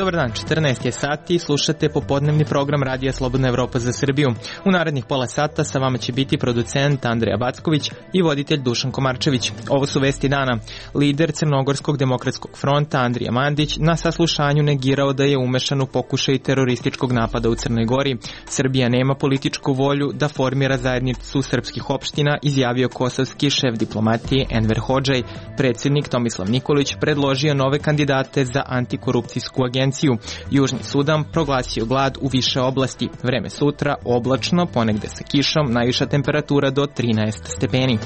Dobar dan, 14 je sati, slušate popodnevni program Radija Slobodna Evropa za Srbiju. U narednih pola sata sa vama će biti producent Andreja Backović i voditelj Dušan Komarčević. Ovo su vesti dana. Lider Crnogorskog demokratskog fronta Andrija Mandić na saslušanju negirao da je umešan u pokušaj terorističkog napada u Crnoj Gori. Srbija nema političku volju da formira zajednicu srpskih opština, izjavio kosovski šef diplomatije Enver Hodžaj. Predsjednik Tomislav Nikolić predložio nove kandidate za antikorupcijsku agenciju. Južni Sudan proglasio glad u više oblasti. Vreme sutra oblačno, ponegde sa kišom, najviša temperatura do 13 stepeni.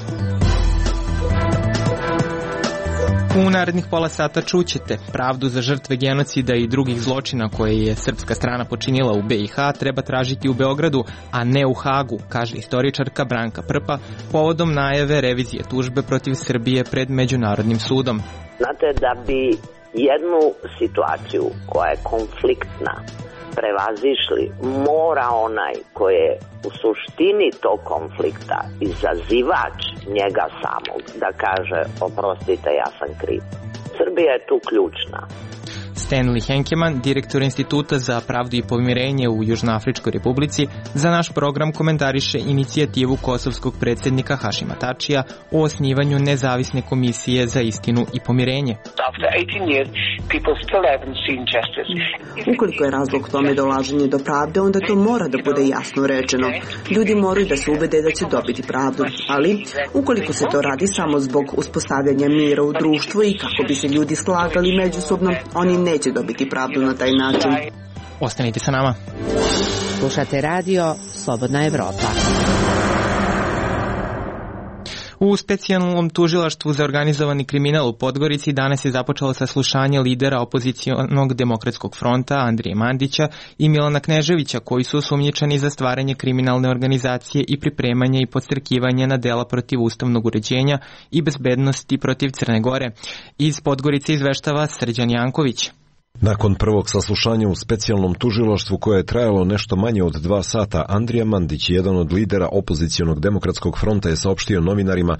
U narednih pola sata čućete pravdu za žrtve genocida i drugih zločina koje je srpska strana počinila u BiH treba tražiti u Beogradu, a ne u Hagu, kaže istoričarka Branka Prpa povodom najave revizije tužbe protiv Srbije pred Međunarodnim sudom. Znate, da bi jednu situaciju koja je konfliktna prevazišli, mora onaj koji je u suštini tog konflikta izazivač njega samog da kaže oprostite, ja sam kriv. Srbija je tu ključna. Stanley Henkeman, direktor Instituta za pravdu i pomirenje u Južnoafričkoj republici, za naš program komentariše inicijativu kosovskog predsjednika Hašima Tačija o osnivanju nezavisne komisije za istinu i pomirenje. Ukoliko je razlog tome dolaženje do pravde, onda to mora da bude jasno rečeno. Ljudi moraju da se ubede da će dobiti pravdu, ali ukoliko se to radi samo zbog uspostavljanja mira u društvu i kako bi se ljudi slagali međusobno, oni neće dobiti pravdu na taj način. Ostanite sa nama. Slušate radio Slobodna Evropa. U specijalnom tužilaštvu za organizovani kriminal u Podgorici danas je započelo saslušanje lidera opozicionog demokratskog fronta Andrije Mandića i Milana Kneževića, koji su osumnjičeni za stvaranje kriminalne organizacije i pripremanje i podstrekivanje na dela protiv ustavnog uređenja i bezbednosti protiv Crne Gore. Iz Podgorice izveštava Srđan Janković. Nakon prvog saslušanja u specijalnom tužilaštvu koje je trajalo nešto manje od 2 sata, Andrija Mandić, jedan od lidera opozicionog demokratskog fronta, je saopštio novinarima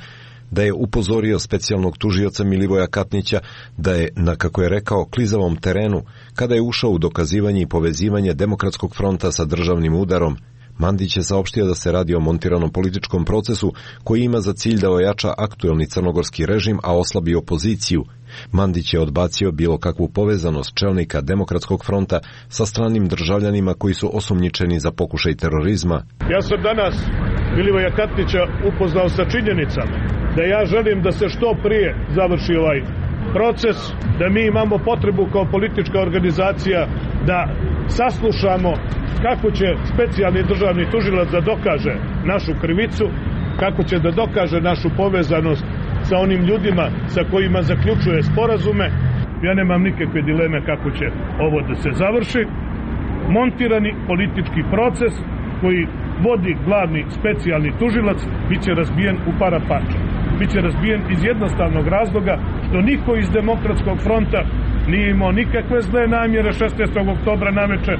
da je upozorio specijalnog tužioca Milivoja Katnića da je na, kako je rekao, klizavom terenu kada je ušao u dokazivanje i povezivanje demokratskog fronta sa državnim udarom. Mandić je saopštio da se radi o montiranom političkom procesu koji ima za cilj da ojača aktuelni crnogorski režim, a oslabi opoziciju. Mandić je odbacio bilo kakvu povezanost čelnika demokratskog fronta sa stranim državljanima koji su osumnjičeni za pokušaj terorizma. Ja sam danas Milivoja Katnića upoznao sa činjenicama da ja želim da se što prije završi ovaj proces, da mi imamo potrebu kao politička organizacija da saslušamo kako će specijalni državni tužilac da dokaže našu krivicu, kako će da dokaže našu povezanost sa onim ljudima sa kojima zaključuje sporazume. Ja nemam nikakve dileme kako će ovo da se završi. Montirani politički proces koji vodi glavni specijalni tužilac biće razbijen u para parča. Biće razbijen iz jednostavnog razloga što niko iz demokratskog fronta nije imao nikakve zle namjere 16. oktobra naveče.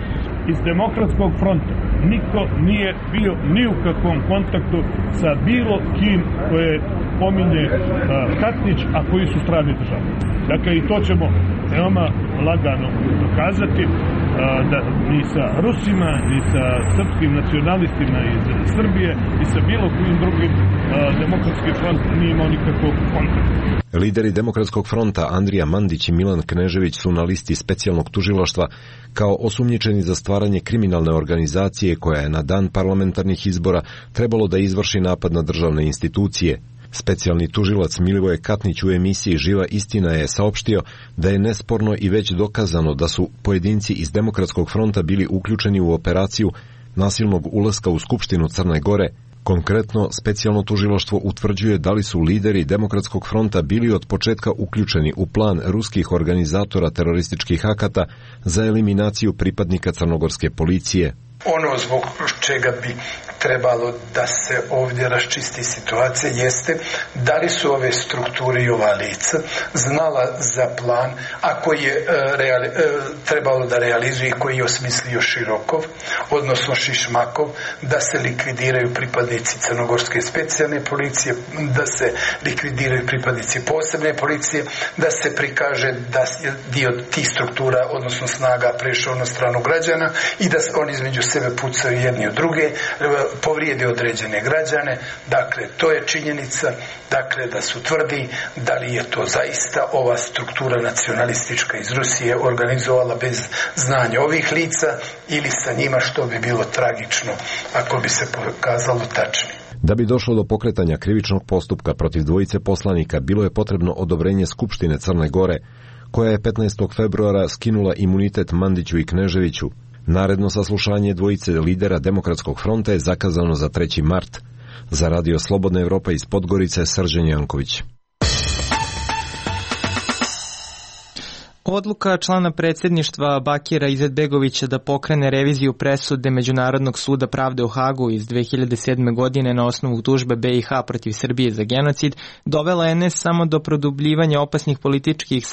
Iz demokratskog fronta niko nije bio ni u kakvom kontaktu sa bilo kim koje pominje Katnić, a koji su strani države. Dakle, i to ćemo veoma lagano dokazati, da ni sa Rusima, ni sa srpskim nacionalistima iz Srbije, ni sa bilo kojim drugim demokratski front nije imao nikakvog kontakta. Lideri demokratskog fronta Andrija Mandić i Milan Knežević su na listi specijalnog tužilaštva kao osumnjičeni za stvaranje kriminalne organizacije koja je na dan parlamentarnih izbora trebalo da izvrši napad na državne institucije. Specijalni tužilac Milivoje Katnić u emisiji Živa istina je saopštio da je nesporno i već dokazano da su pojedinci iz demokratskog fronta bili uključeni u operaciju nasilnog ulaska u Skupštinu Crne Gore. Konkretno, specijalno tužilaštvo utvrđuje da li su lideri demokratskog fronta bili od početka uključeni u plan ruskih organizatora terorističkih akata za eliminaciju pripadnika crnogorske policije. Ono zbog čega bi trebalo da se ovdje raščisti situacija jeste da li su ove strukture i ova lica znala za plan, a koji je trebalo da realizuje i koji je osmislio Širokov, odnosno Šišmakov, da se likvidiraju pripadnici crnogorske specijalne policije, da se likvidiraju pripadnici posebne policije, da se prikaže da je dio tih struktura, odnosno snaga, prešao na stranu građana i da oni između sebe pucaju jedni od druge, povrijede određene građane. Dakle, to je činjenica, dakle, da se utvrdi da li je to zaista ova struktura nacionalistička iz Rusije organizovala bez znanja ovih lica ili sa njima, što bi bilo tragično ako bi se pokazalo tačnim. Da bi došlo do pokretanja krivičnog postupka protiv dvojice poslanika, bilo je potrebno odobrenje Skupštine Crne Gore, koja je 15. februara skinula imunitet Mandiću i Kneževiću. Naredno saslušanje dvojice lidera Demokratskog fronta je zakazano za 3. mart. Za Radio Slobodna Evropa iz Podgorice, Srđan Janković. Odluka člana predsjedništva Bakira Izetbegovića da pokrene reviziju presude Međunarodnog suda pravde u Hagu iz 2007. godine na osnovu tužbe BiH protiv Srbije za genocid dovela je ne samo do produbljivanja opasnih političkih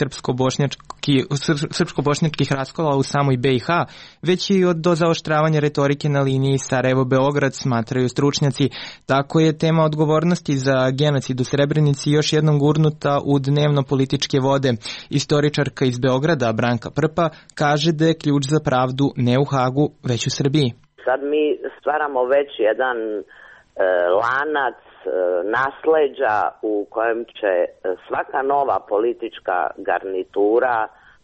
srpsko-bošnjačkih raskola u samoj BiH, već i do zaoštravanja retorike na liniji Sarajevo-Beograd, smatraju stručnjaci. Tako je tema odgovornosti za genocid u Srebrenici još jednom gurnuta u dnevno političke vode. Istoričarka iz Beograda, Branka Prpa, kaže da je ključ za pravdu ne u Hagu, već u Srbiji. Sad mi stvaramo već jedan lanac nasleđa u kojem će svaka nova politička garnitura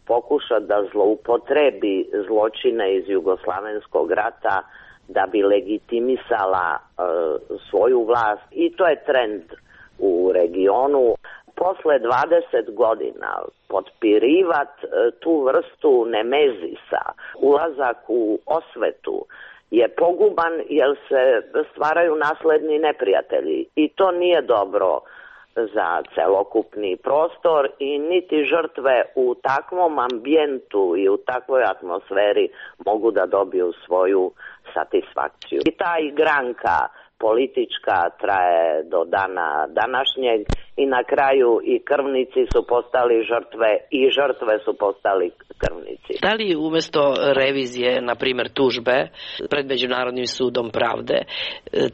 pokušati da zloupotrebi zločine iz Jugoslavenskog rata da bi legitimisala svoju vlast, i to je trend u regionu. Posle 20 godina potpirivat tu vrstu nemezisa, ulazak u osvetu je poguban jer se stvaraju nasledni neprijatelji i to nije dobro za celokupni prostor i niti žrtve u takvom ambijentu i u takvoj atmosferi mogu da dobiju svoju satisfakciju. I ta igranka politička traje do dana današnjeg i na kraju i krvnici su postali žrtve i žrtve su postali krvnici. Da li umjesto revizije, na primjer tužbe pred Međunarodnim sudom pravde,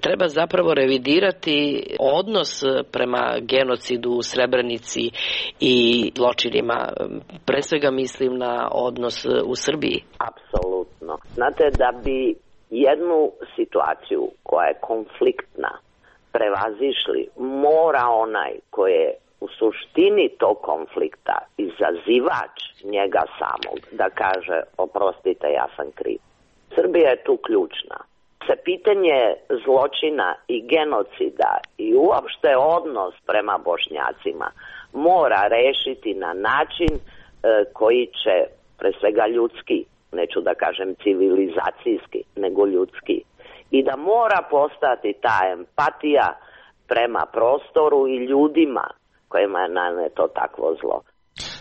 treba zapravo revidirati odnos prema genocidu u Srebrenici i zločinima? Pre svega mislim na odnos u Srbiji. Apsolutno. Znate, da bi jednu situaciju koja je konfliktna prevazišli, mora onaj koji je u suštini tog konflikta izazivač njega samog da kaže oprostite, ja sam kriv. Srbija je tu ključna. Se pitanje zločina i genocida i uopšte odnos prema Bošnjacima mora rešiti na način koji će, pre svega ljudski, neću da kažem civilizacijski, nego ljudski. I da mora postati ta empatija prema prostoru i ljudima kojima je naneto takvo zlo.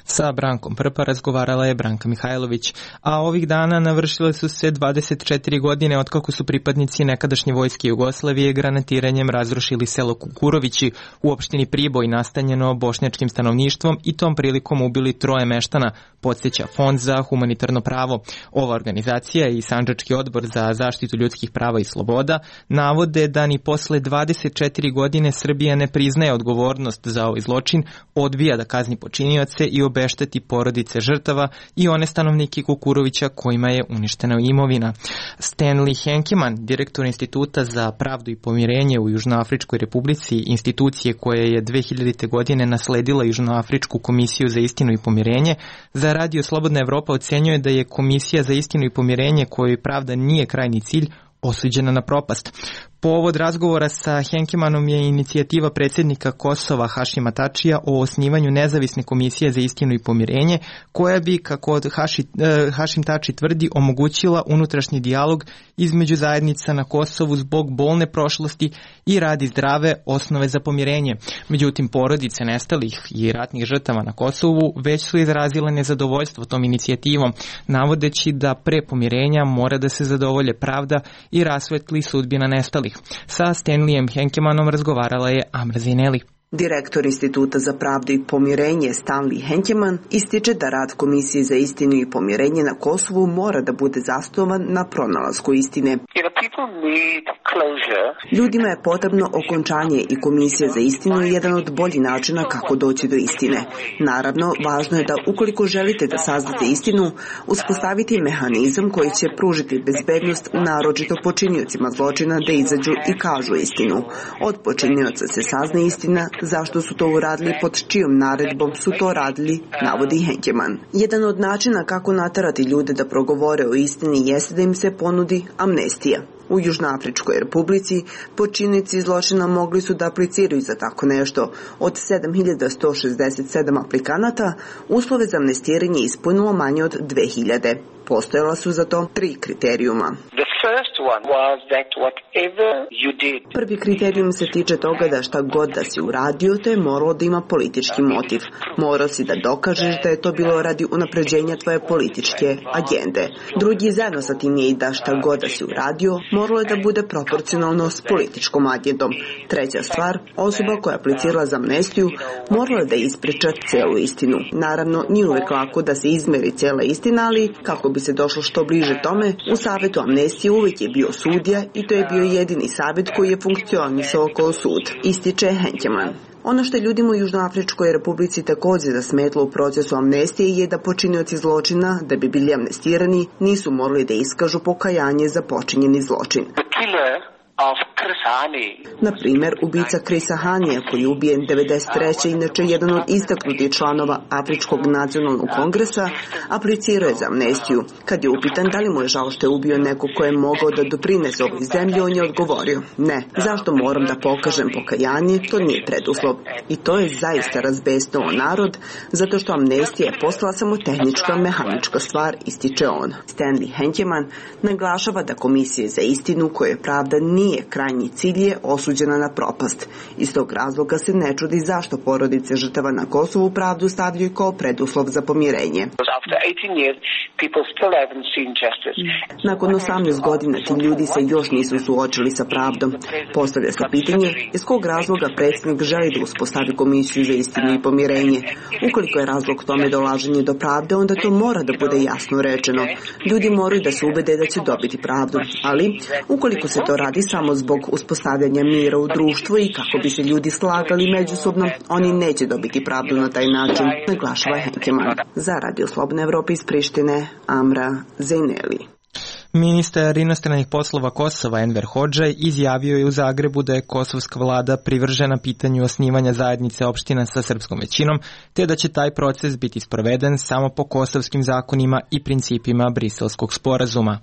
Sa Brankom Prpa razgovarala je Branka Mihajlović, a ovih dana navršile su se 24 godine otkako su pripadnici nekadašnje vojske Jugoslavije granatiranjem razrušili selo Kukurovići u opštini Priboj nastanjeno bošnjačkim stanovništvom i tom prilikom ubili 3 meštana, podsjeća Fond za humanitarno pravo. Ova organizacija i Sandžački odbor za zaštitu ljudskih prava i sloboda navode da ni posle 24 godine Srbija ne priznaje odgovornost za ovaj zločin, odbija da kazni počinioce i obešteti porodice žrtava i one stanovnike Kukurovića kojima je uništena imovina. Stanley Henkeman, direktor Instituta za pravdu i pomirenje u Južnoafričkoj republici, institucije koja je 2000. godine nasledila Južnoafričku komisiju za istinu i pomirenje, za Radio Slobodna Evropa ocenjuje da je Komisija za istinu i pomirenje kojoj pravda nije krajnji cilj osuđena na propast. Povod razgovora sa Henkemanom je inicijativa predsjednika Kosova Hašima Tačija o osnivanju nezavisne komisije za istinu i pomirenje, koja bi, kako Hašim Tači tvrdi, omogućila unutrašnji dijalog između zajednica na Kosovu zbog bolne prošlosti i radi zdrave osnove za pomirenje. Međutim, porodice nestalih i ratnih žrtava na Kosovu već su izrazile nezadovoljstvo tom inicijativom, navodeći da pre pomirenja mora da se zadovolje pravda i rasvetli sudbina nestalih. Sa Stanleyem Henkemanom razgovarala je Amra Zineli. Direktor Instituta za pravdu i pomirenje Stanley Henkeman ističe da rad Komisije za istinu i pomirenje na Kosovu mora da bude zasnovan na pronalasku istine. Ljudima je potrebno okončanje i Komisija za istinu je jedan od boljih načina kako doći do istine. Naravno, važno je da ukoliko želite da saznate istinu, uspostaviti mehanizam koji će pružiti bezbednost naročito počiniocima zločina da izađu i kažu istinu. Od počinioca se sazna istina, zašto su to uradili, pod čijom naredbom su to radili, navodi Henkeman. Jedan od načina kako naterati ljude da progovore o istini jeste da im se ponudi amnestija. U Južnoafričkoj republici počinioci zločina mogli su da apliciraju za tako nešto. Od 7167 aplikanata uslove za amnestiranje ispunilo manje od 2000. Postojala su za to 3 kriterijuma. Prvi kriterijum se tiče toga da šta god da si uradio, to je moralo da ima politički motiv. Morao si da dokažeš da je to bilo radi unapređenja tvoje političke agende. Drugi zajedno sa tim je i da šta god da si uradio, moralo je da bude proporcionalno s političkom agendom. Treća stvar, osoba koja je aplicirala za amnestiju morala je da ispriča celu istinu. Naravno, nije uvek lako da se izmeri cela istina, ali kako bi se došlo što bliže tome, u Savetu amnestije uvijek je bio sudija i to je bio jedini savjet koji je funkcionisao kao sud, ističe Henkeman. Ono što je ljudima u Južnoafričkoj republici također zasmetlo u procesu amnestije je da počinioci zločina, da bi bili amnestirani, nisu morali da iskažu pokajanje za počinjeni zločin. Na primjer, ubica Krisa Hanija, koji je ubijen 93. inače jedan od istaknutih članova Afričkog nacionalnog kongresa, aplicirao je za amnestiju. Kad je upitan da li mu je žao što je ubio neko ko je mogao da doprinese ovoj zemlji, on je odgovorio: ne, zašto moram da pokažem pokajanje, to nije preduslov. I to je zaista razbesnilo narod, zato što amnestija je postala samo tehnička, mehanička stvar, ističe on. Stanley Henkeman naglašava da Komisije za istinu, koje pravda nije krajnji cilj, je osuđena na propast. Iz tog razloga se ne čudi zašto porodice žrtava na Kosovu pravdu stavljaju kao preduslov za pomirenje. Nakon 18 godina ti ljudi se još nisu suočili sa pravdom. Postavlja se pitanje iz kog razloga predsjednik želi da uspostavi Komisiju za istinu i pomirenje. Ukoliko je razlog tome dolaženje do pravde, onda to mora da bude jasno rečeno. Ljudi moraju da se ubede da će dobiti pravdu, ali ukoliko se to radi samo zbog uspostavljanja mira u društvu i kako bi se ljudi slagali međusobno, oni neće dobiti pravdu na taj način, naglašava Henkeman. Za Radio Slobodne Evrope iz Prištine, Amra Zineli. Ministar inostranih poslova Kosova Enver Hodžaj izjavio je u Zagrebu da je kosovska vlada privržena pitanju osnivanja zajednice opština sa srpskom većinom, te da će taj proces biti sproveden samo po kosovskim zakonima i principima Briselskog sporazuma.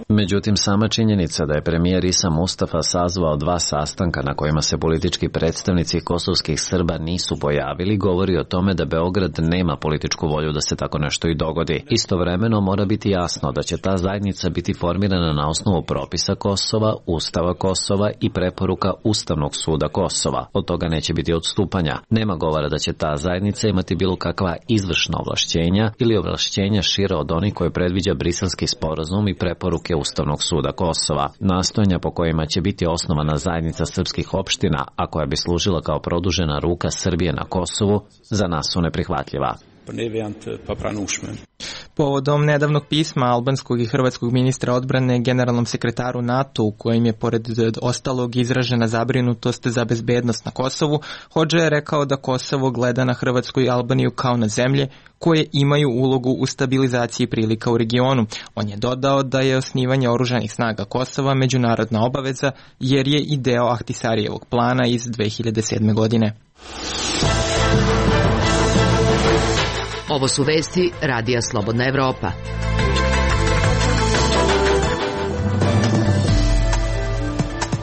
Međutim, sama činjenica da je premijer Isa Mustafa sazvao 2 sastanka na kojima se politički predstavnici kosovskih Srba nisu pojavili, govori o tome da Beograd nema političku volju da se tako nešto i dogodi. Istovremeno mora biti jasno da će ta zajednica biti formirana na osnovu propisa Kosova, Ustava Kosova i preporuka Ustavnog suda Kosova. Od toga neće biti odstupanja. Nema govora da će ta zajednica imati bilo kakva izvršna ovlašćenja ili ovlašćenja šire od onih koje predviđa Briselski sporazum i preporuke Ustavnog suda Kosova. Nastojanja po kojima će biti osnovana zajednica srpskih opština, a koja bi služila kao produžena ruka Srbije na Kosovu, za nas su neprihvatljiva. Povodom nedavnog pisma albanskog i hrvatskog ministra odbrane generalnom sekretaru NATO, u kojem je pored ostalog izražena zabrinutost za bezbednost na Kosovu, Hodža je rekao da Kosovo gleda na Hrvatsku i Albaniju kao na zemlje koje imaju ulogu u stabilizaciji prilika u regionu. On je dodao da je osnivanje oružanih snaga Kosova međunarodna obaveza, jer je i deo Ahtisarijevog plana iz 2007. godine. Ovo su vesti Radija Slobodna Evropa.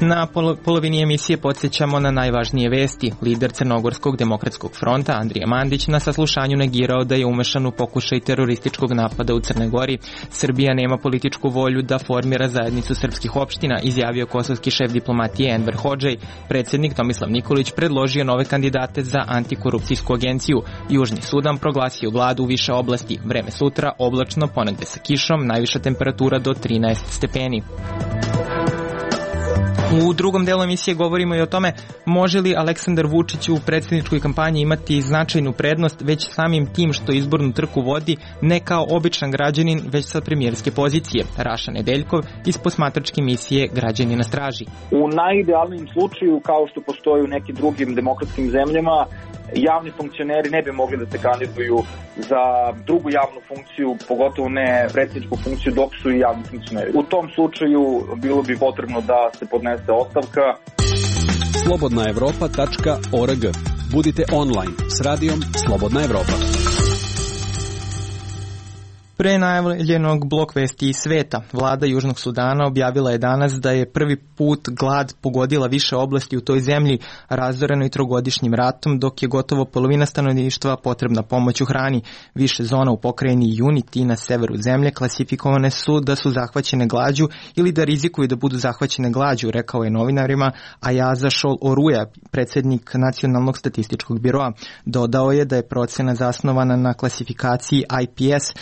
Na polovini emisije podsjećamo na najvažnije vesti. Lider Crnogorskog demokratskog fronta Andrija Mandić na saslušanju negirao da je umešan u pokušaj terorističkog napada u Crnoj Gori. Srbija nema političku volju da formira zajednicu srpskih opština, izjavio kosovski šef diplomatije Enver Hodžej. Predsjednik Tomislav Nikolić predložio nove kandidate za antikorupcijsku agenciju. Južni Sudan proglasio glad u više oblasti. Vreme sutra oblačno, ponegde sa kišom, najviša temperatura do 13 stepeni. U drugom delu emisije govorimo i o tome može li Aleksandar Vučić u predsjedničkoj kampanji imati značajnu prednost već samim tim što izbornu trku vodi ne kao običan građanin, već sa premijerske pozicije. Raša Nedeljkov iz posmatračke emisije Građani na straži. U najidealnijem slučaju, kao što postoji u nekim drugim demokratskim zemljama, javni funkcioneri ne bi mogli da se kandiduju za drugu javnu funkciju, pogotovo ne predsjedničku funkciju, dok su i javni funkcioneri. U tom slučaju bilo bi potrebno da se podnese ostavka. Slobodnaevropa.org. Budite online s radijom Slobodna Evropa. Pre najavljenog blok vesti iz sveta, vlada Južnog Sudana objavila je danas da je prvi put glad pogodila više oblasti u toj zemlji razorenoj trogodišnjim ratom, dok je gotovo polovina stanovništva potrebna pomoć u hrani. Više zona u pokrajini Unity na severu zemlje klasifikovane su da su zahvaćene glađu ili da rizikuju da budu zahvaćene glađu, rekao je novinarima Ayaza Shol Oruja, predsjednik Nacionalnog statističkog biroa. Dodao je da je procena zasnovana na klasifikaciji IPS,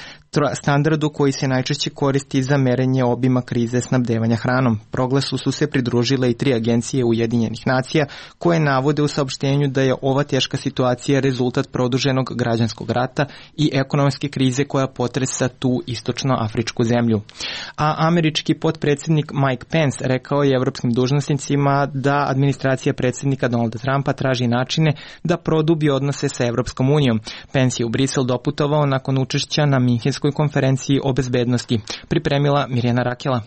standardu koji se najčešće koristi za merenje obima krize snabdevanja hranom. Proglasu su se pridružile i 3 agencije Ujedinjenih nacija koje navode u saopštenju da je ova teška situacija rezultat produženog građanskog rata i ekonomske krize koja potresa tu istočnoafričku zemlju. A američki potpredsjednik Mike Pence rekao je evropskim dužnosnicima da administracija predsjednika Donalda Trumpa traži načine da produbi odnose sa Evropskom unijom. Pence je u Brisel doputovao nakon učešća na Minhenskoj konferenciji o bezbednosti. Pripremila Mirjana Rakela.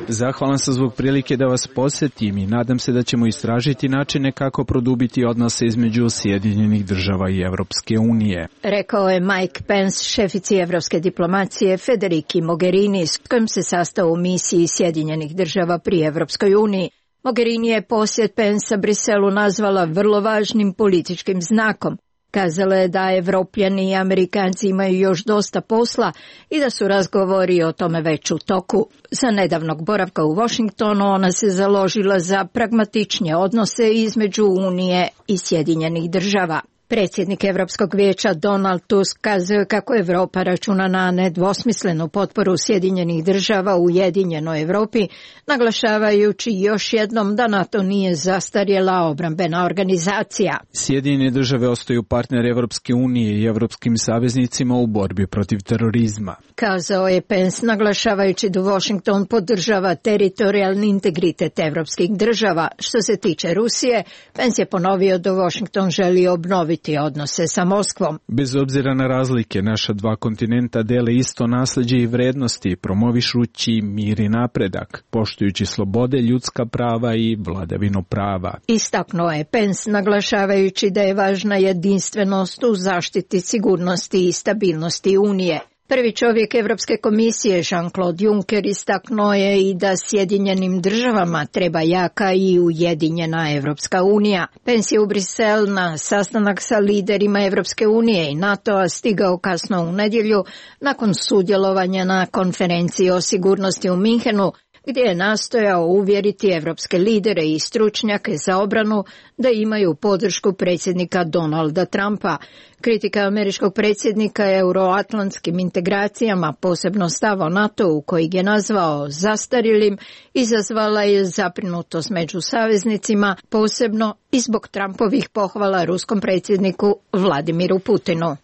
Zahvalan sam zbog prilike da vas posjetim i nadam se da ćemo istražiti načine kako produbiti odnose između Sjedinjenih država i Evropske unije. Rekao je Mike Pence šefici evropske diplomacije Federici Mogherini s kojim se sastao u misiji Sjedinjenih država pri Evropskoj uniji. Mogherini je posjet Pensa Briselu nazvala vrlo važnim političkim znakom. Kazala je da Evropljani i Amerikanci imaju još dosta posla i da su razgovori o tome već u toku. Za nedavnog boravka u Washingtonu ona se založila za pragmatičnije odnose između Unije i Sjedinjenih država. Predsjednik Evropskog vijeća Donald Tusk kazao kako Evropa računa na nedvosmislenu potporu Sjedinjenih država u Ujedinjenoj Evropi, naglašavajući još jednom da NATO nije zastarjela obrambena organizacija. Sjedinjene države ostaju partner Evropske unije i evropskim saveznicima u borbi protiv terorizma. Kazao je Pence, naglašavajući da Washington podržava teritorijalni integritet evropskih država. Što se tiče Rusije, Pence je ponovio da Washington želi obnoviti odnose sa Moskvom. Bez obzira na razlike, naša dva kontinenta dele isto nasleđe i vrednosti, promovišući mir i napredak, poštujući slobode, ljudska prava i vladavinu prava. Istaknuo je Pence, naglašavajući da je važna jedinstvenost u zaštiti sigurnosti i stabilnosti Unije. Prvi čovjek Evropske komisije Jean-Claude Juncker istaknuo je i da Sjedinjenim državama treba jaka i ujedinjena Evropska unija. Pence je u Brisel na sastanak sa liderima Evropske unije i NATO-a stigao kasno u nedjelju nakon sudjelovanja na konferenciji o sigurnosti u Minhenu, gdje je nastojao uvjeriti evropske lidere i stručnjake za obranu da imaju podršku predsjednika Donalda Trumpa. Kritika američkog predsjednika euroatlantskim integracijama, posebno stav o NATO-u kojeg je nazvao zastarjelim, izazvala je zabrinutost među saveznicima, posebno i zbog Trumpovih pohvala ruskom predsjedniku Vladimiru Putinu.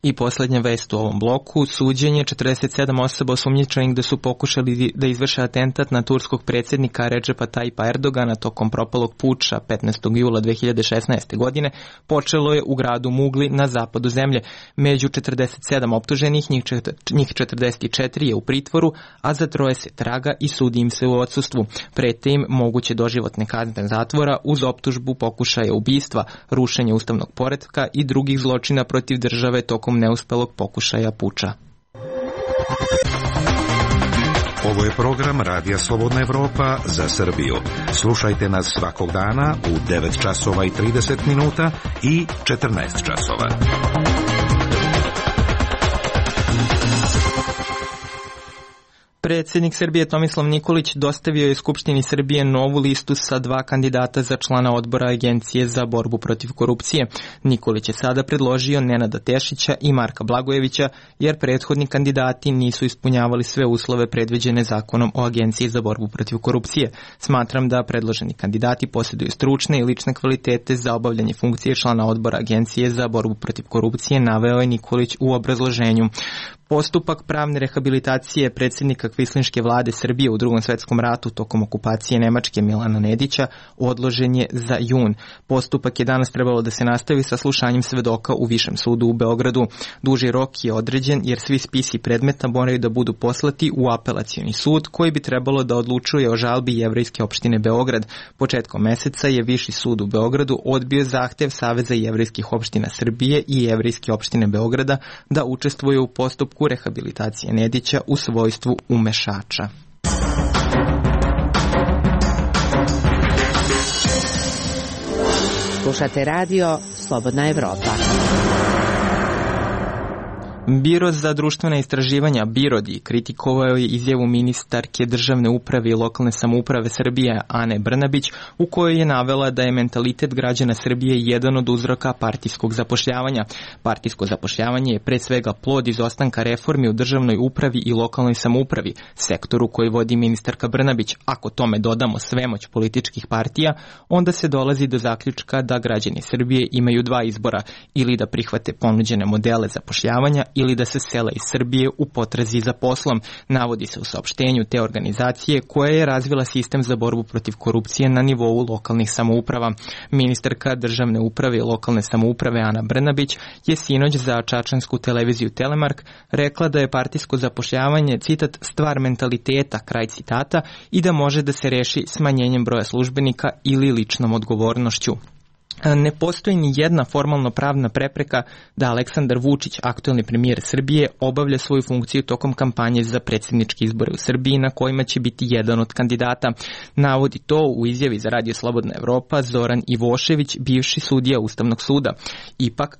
I posljednja vest u ovom bloku, suđenje 47 osoba osumnjičenih da su pokušali da izvrše atentat na turskog predsjednika Recepa Tayyipa Erdogana tokom propalog puča 15. jula 2016. godine počelo je u gradu Mugli na zapadu zemlje. Među 47 optuženih, njih 44 je u pritvoru, a za 3 se traga i sudi im se u odsustvu. Prete im moguće doživotne kazne zatvora uz optužbu pokušaja ubistva, rušenja ustavnog poretka i drugih zločina protiv države tokom neuspelog pokušaja puča. Ovo je program Radija Slobodna Evropa za Srbiju. Slušajte nas svakog dana u 9 časova i 30 minuta i 14 časova. Predsjednik Srbije Tomislav Nikolić dostavio je Skupštini Srbije novu listu sa 2 kandidata za člana odbora Agencije za borbu protiv korupcije. Nikolić je sada predložio Nenada Tešića i Marka Blagojevića, jer prethodni kandidati nisu ispunjavali sve uslove predviđene zakonom o Agenciji za borbu protiv korupcije. Smatram da predloženi kandidati posjeduju stručne i lične kvalitete za obavljanje funkcije člana odbora Agencije za borbu protiv korupcije, naveo je Nikolić u obrazloženju. Postupak pravne rehabilitacije predsjednika kvislinške vlade Srbije u Drugom svetskom ratu tokom okupacije Nemačke Milana Nedića odložen je za jun. Postupak je danas trebalo da se nastavi sa slušanjem svedoka u Višem sudu u Beogradu. Duži rok je određen jer svi spisi predmeta moraju da budu poslati u apelacioni sud koji bi trebalo da odlučuje o žalbi Jevrejske opštine Beograd. Početkom meseca je Viši sud u Beogradu odbio zahtev Saveza jevrejskih opština Srbije i Jevrejske opštine Beograda da učestvuju u postupku rehabilitacije Nedića u svojstvu umešača. Slušate radio Slobodna Evropa. Biro za društvena istraživanja BIRODI kritikovao je izjavu ministarke državne uprave i lokalne samouprave Srbije Ane Brnabić, u kojoj je navela da je mentalitet građana Srbije jedan od uzroka partijskog zapošljavanja. Partijsko zapošljavanje je pre svega plod izostanka reformi u državnoj upravi i lokalnoj samoupravi, sektoru koji vodi ministarka Brnabić. Ako tome dodamo svemoć političkih partija, onda se dolazi do zaključka da građani Srbije imaju 2 izbora, ili da prihvate ponuđene modele zapošljavanja ili da se sele iz Srbije u potrazi za poslom, navodi se u saopštenju te organizacije koja je razvila sistem za borbu protiv korupcije na nivou lokalnih samouprava. Ministarka državne uprave i lokalne samouprave Ana Brnabić je sinoć za čačansku televiziju Telemark rekla da je partijsko zapošljavanje, citat, stvar mentaliteta, kraj citata, i da može da se reši smanjenjem broja službenika ili ličnom odgovornošću. Ne postoji ni jedna formalno pravna prepreka da Aleksandar Vučić, aktuelni premijer Srbije, obavlja svoju funkciju tokom kampanje za predsjedničke izbore u Srbiji na kojima će biti jedan od kandidata. Navodi to u izjavi za Radio Slobodna Evropa Zoran Ivošević, bivši sudija Ustavnog suda. Ipak,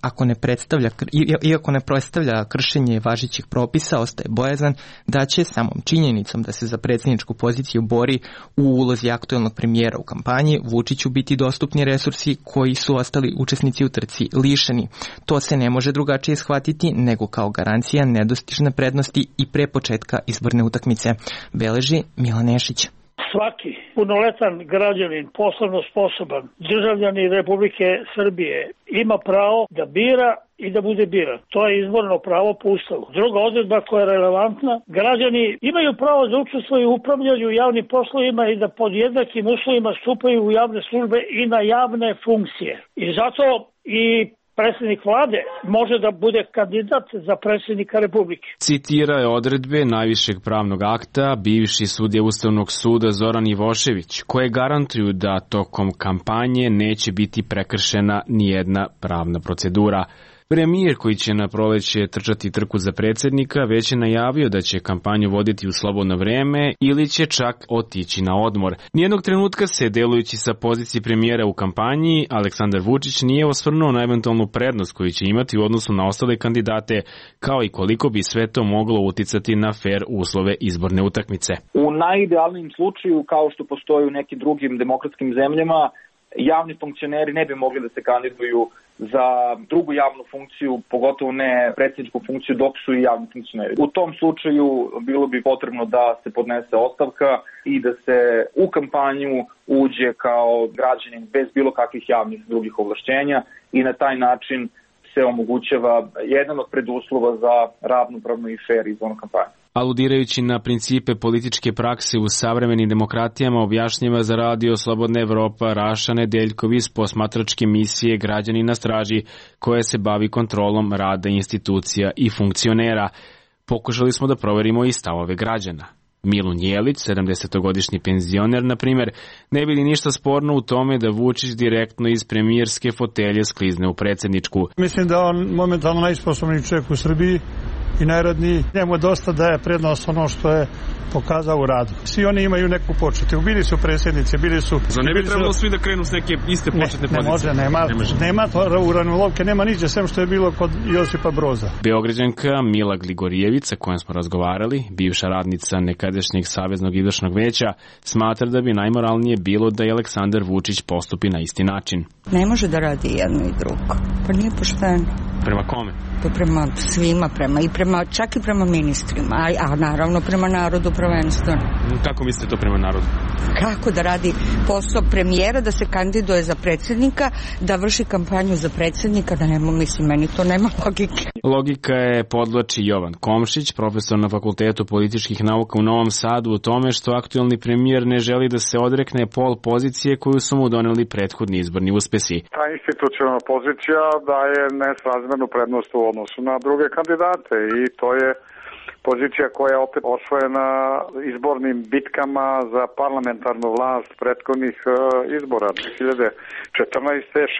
iako ne predstavlja kršenje važećih propisa, ostaje bojazan da će samom činjenicom da se za predsjedničku poziciju bori u ulozi aktuelnog premijera u kampanji Vučiću biti dostupni resursi koji su ostali učesnici u trci lišeni. To se ne može drugačije shvatiti nego kao garancija nedostižne prednosti i pre početka izborne utakmice, beleži Milan Nešić. Svaki punoletan građanin, poslovno sposoban, državljanin Republike Srbije ima pravo da bira i da bude biran. To je izborno pravo po Ustavu. Druga odredba koja je relevantna, građani imaju pravo da učestvuju u upravljanju javnim poslovima i da pod jednakim uslovima stupaju u javne službe i na javne funkcije. I zato i predsjednik vlade može da bude kandidat za predsjednika Republike. Citira je odredbe najvišeg pravnog akta bivši sudija Ustavnog suda Zoran Ivošević, koje garantuju da tokom kampanje neće biti prekršena nijedna pravna procedura. Premijer, koji će na proleće trčati trku za predsjednika, već je najavio da će kampanju voditi u slobodno vreme ili će čak otići na odmor. Nijednog trenutka se, delujući sa pozicije premijera u kampanji, Aleksandar Vučić nije osvrnuo na eventualnu prednost koju će imati u odnosu na ostale kandidate, kao i koliko bi sve to moglo uticati na fer uslove izborne utakmice. U najidealnijem slučaju, kao što postoji u nekim drugim demokratskim zemljama, javni funkcioneri ne bi mogli da se kandiduju za drugu javnu funkciju, pogotovo ne predsjedničku funkciju, dok su i javni funkcioneri. U tom slučaju bilo bi potrebno da se podnese ostavka i da se u kampanju uđe kao građanin bez bilo kakvih javnih drugih ovlašćenja i na taj način se omogućava jedan od preduslova za ravnopravnu i fair izbornu kampanju. Aludirajući na principe političke prakse u savremenim demokratijama, objašnjava za Radio Slobodna Evropa Raša Nedeljkov iz posmatračke misije Građani na straži, koja se bavi kontrolom rada institucija i funkcionera. Pokušali smo da proverimo i stavove građana. Milun Jelić, 70-godišnji penzioner, na primjer, ne vidi ništa sporno u tome da Vučić direktno iz premijerske fotelje sklizne u predsjedničku. Mislim da on momentalno najsposobniji čovjek u Srbiji i najradniji. Njemu dosta daje prednost ono što je pokazao u radu. Svi oni imaju neku početu. Bili su predsjednici, bili su... Za ne bi trebalo svi da krenu s neke iste početne pozicije? Nema uranilovke, nema niđe, sem što je bilo kod Josipa Broza. Beograđanka Mila Gligorijević, sa kojom smo razgovarali, bivša radnica nekadašnjeg Saveznog izvršnog veća, smatra da bi najmoralnije bilo da je Aleksandar Vučić postupi na isti način. Ne može da radi jedno i drugo. Pa nije pošteno. Prema kome? Pa prema svima, čak i prema ministrima, a naravno prema narodu prvenstveno. Kako mislite to prema narodu? Kako da radi posao premijera, da se kandiduje za predsjednika, da vrši kampanju za predsjednika, da nema, mislim, meni to nema logike. Logika je podvlači Jovan Komšić, profesor na Fakultetu političkih nauka u Novom Sadu, u tome što aktuelni premijer ne želi da se odrekne pol pozicije koju su mu doneli prethodni izborni uspesi. Ta institucionalna pozicija daje nesrazmernu prednost u odnosu na druge kandidate i to je pozicija koja je opet osvojena izbornim bitkama za parlamentarnu vlast prethodnih izbora 2014.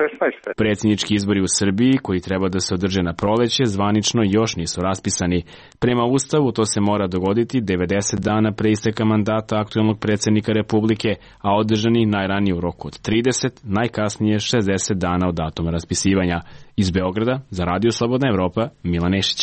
16. Predsjednički izbori u Srbiji, koji treba da se održe na proleće, zvanično još nisu raspisani. Prema Ustavu to se mora dogoditi 90 dana pre isteka mandata aktuelnog predsjednika Republike, a održani najranije u roku od 30, najkasnije 60 dana od datuma raspisivanja. Iz Beograda, za Radio Slobodna Evropa, Milan Nešić.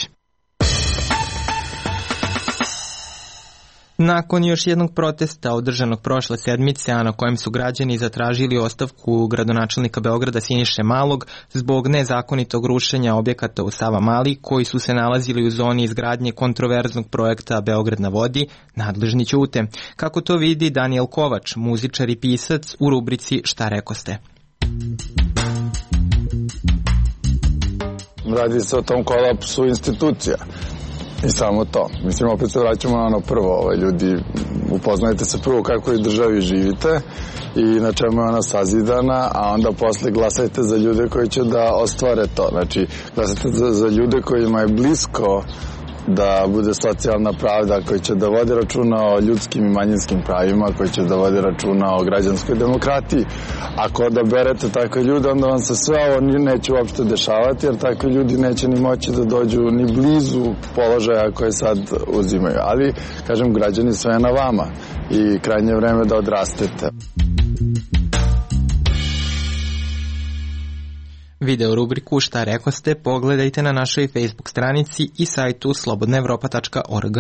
Nakon još jednog protesta održanog prošle sedmice, a na kojem su građani zatražili ostavku gradonačelnika Beograda Siniše Malog zbog nezakonitog rušenja objekata u Savamali koji su se nalazili u zoni izgradnje kontroverznog projekta Beograd na vodi, nadležni ćute. Kako to vidi Daniel Kovač, muzičar i pisac, u rubrici Šta rekoste? Radi se o tom kolapsu institucija. I samo to. Mislim, opet se vraćamo na ono prvo. Ljudi, upoznajte se prvo kako u državi živite i na čemu je ona sazidana, a onda posle glasajte za ljude koji će da ostvare to. Znači, glasajte za ljude kojima je blisko da bude socijalna pravda, koji će da vode računa o ljudskim i manjinskim pravima, koji će da vode računa o građanskoj demokratiji. Ako odaberete takve ljude, onda vam se sve ovo neće uopšte dešavati, jer takvi ljudi neće ni moći da dođu ni blizu položaja koje sad uzimaju. Ali, kažem, građani, sve je na vama i krajnje vreme da odrastete. Video rubriku Šta rekoste pogledajte na našoj Facebook stranici i sajtu slobodnaevropa.org.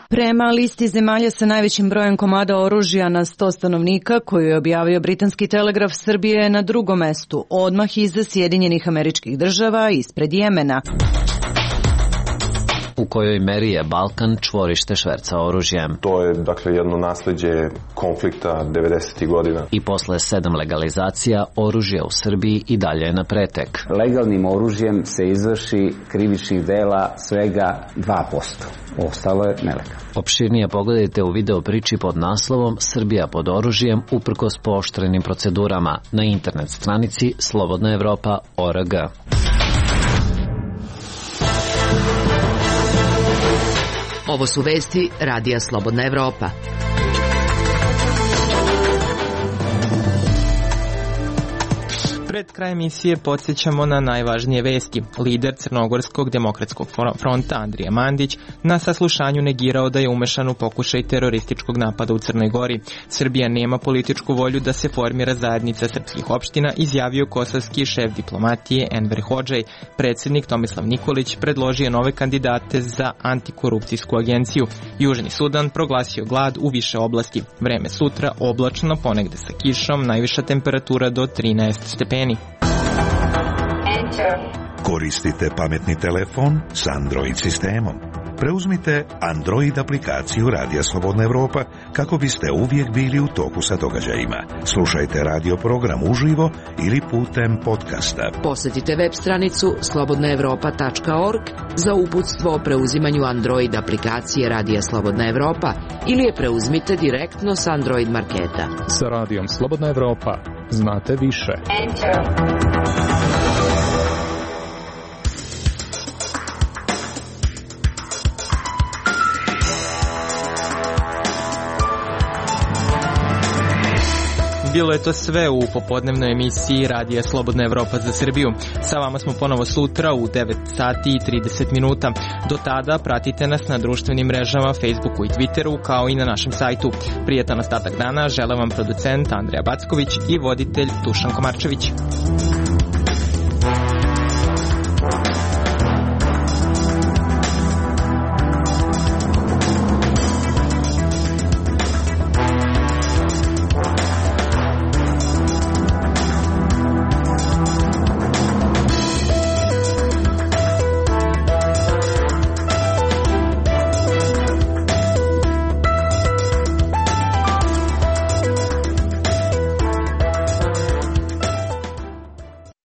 Prema listi zemalja sa najvećim brojem komada oružja na 100 stanovnika koju je objavio Britanski telegraf, Srbije je na drugom mestu, odmah iza Sjedinjenih Američkih Država, ispred Jemena. U kojoj meri je Balkan čvorište šverca oružjem. To je, dakle, jedno nasleđe konflikta 90. godina. I posle 7 legalizacija, oružje u Srbiji i dalje je na pretek. Legalnim oružjem se izvrši krivičnih dela svega 2%. Ostalo je nelegalno. Opširnije pogledajte u video priči pod naslovom Srbija pod oružjem uprkos pooštrenim procedurama na internet stranici slobodnaevropa.org. Ovo su vesti Radija Slobodna Evropa. Pred kraj emisije podsjećamo na najvažnije vesti. Lider Crnogorskog demokratskog fronta Andrija Mandić na saslušanju negirao da je umešan u pokušaj terorističkog napada u Crnoj Gori. Srbija nema političku volju da se formira zajednica srpskih opština, izjavio kosovski šef diplomatije Enver Hodžaj. Predsjednik Tomislav Nikolić predložio nove kandidate za antikorupcijsku agenciju. Južni Sudan proglasio glad u više oblasti. Vreme sutra oblačno, ponegde sa kišom, najviša temperatura do 13 stepeni. Koristite pametni telefon s Android sistemom. Preuzmite Android aplikaciju Radija Slobodna Evropa kako biste uvijek bili u toku sa događajima. Slušajte radio program uživo ili putem podcasta. Posjetite web stranicu slobodnaevropa.org za uputstvo o preuzimanju Android aplikacije Radija Slobodna Evropa ili je preuzmite direktno s Android marketa. Sa Radijom Slobodna Evropa znate više. Bilo je to sve u popodnevnoj emisiji Radija Slobodna Evropa za Srbiju. Sa vama smo ponovo sutra u 9 sati i 30 minuta. Do tada pratite nas na društvenim mrežama, Facebooku i Twitteru, kao i na našem sajtu. Prijetan ostatak dana žele vam producent Andreja Backović i voditelj Dušan Komarčević.